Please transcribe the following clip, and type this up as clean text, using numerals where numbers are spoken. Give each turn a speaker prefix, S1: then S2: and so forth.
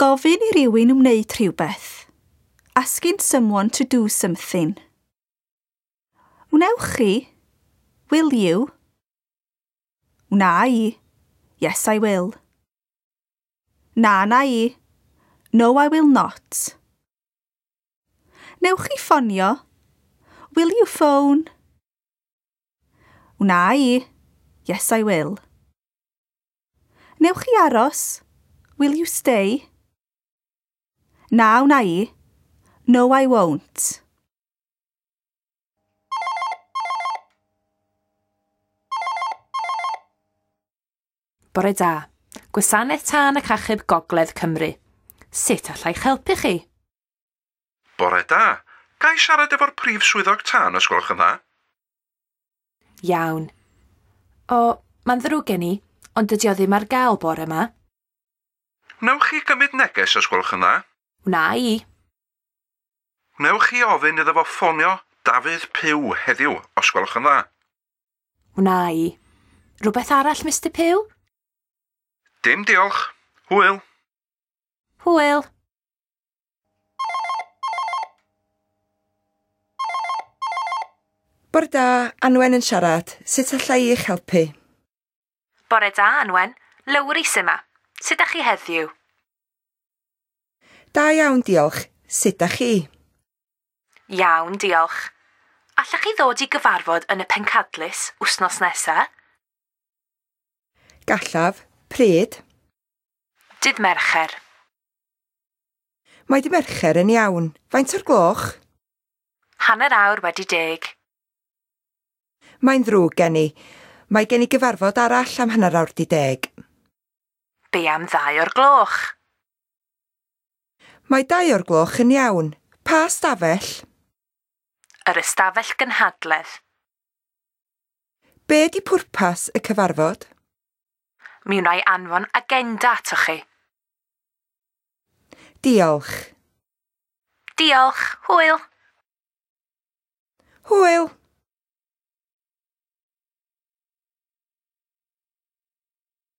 S1: Gofyn i rywun wneud rhywbeth. Asking someone to do something. Wnewch chi? Will you? Wna i. Yes, I will. Na, wna i. No, I will not. Newch chi ffonio? Will you phone? Wna i. Yes, I will. Newch chi aros? Will you stay? Na, wna i. No, I won't.
S2: Bore da. Gwasanaeth Tân ac Achub Gogledd Cymru. Sut alla i'ch helpu chi?
S3: Bore da. Ga i siarad efo'r prif swyddog tân, os gwelwch yn dda?
S2: Iawn. O, mae'n ddrwg gen i, ond dydy o ddim ar gael bore yma.
S3: Wnewch chi gymryd neges, os gwelwch yn dda?
S2: Wna i.
S3: Wnewch chi ofyn iddo fo ffonio Dafydd Pugh heddiw, os gwelwch yn dda?
S2: Wna i. Rhywbeth arall, Mr Pugh?
S3: Dim diolch. Hwyl.
S2: Hwyl.
S4: Bore da, Anwen yn siarad. Sut alla i eich helpu?
S2: Bore da, Anwen. Lowri sy 'ma. Sut ydych chi heddiw?
S4: Da iawn, diolch. Sut ydych chi?
S2: Iawn, diolch. Allech chi ddod i gyfarfod yn y pencadlys wythnos nesaf?
S4: Gallaf. Pryd?
S2: Dydd Mercher.
S4: Mae dydd Mercher yn iawn. Faint o'r gloch?
S2: 10:30.
S4: Mae'n ddrwg gen i. Mae gen i gyfarfod arall am 10:30.
S2: Be am 2 o'r gloch?
S4: Mae 2 o'r gloch yn iawn. Pa stafell?
S2: Yr ystafell gynhadledd.
S4: Be di pwrpas y cyfarfod?
S2: Mi wna i anfon agenda atoch chi.
S4: Diolch.
S2: Diolch. Hwyl.
S4: Hwyl.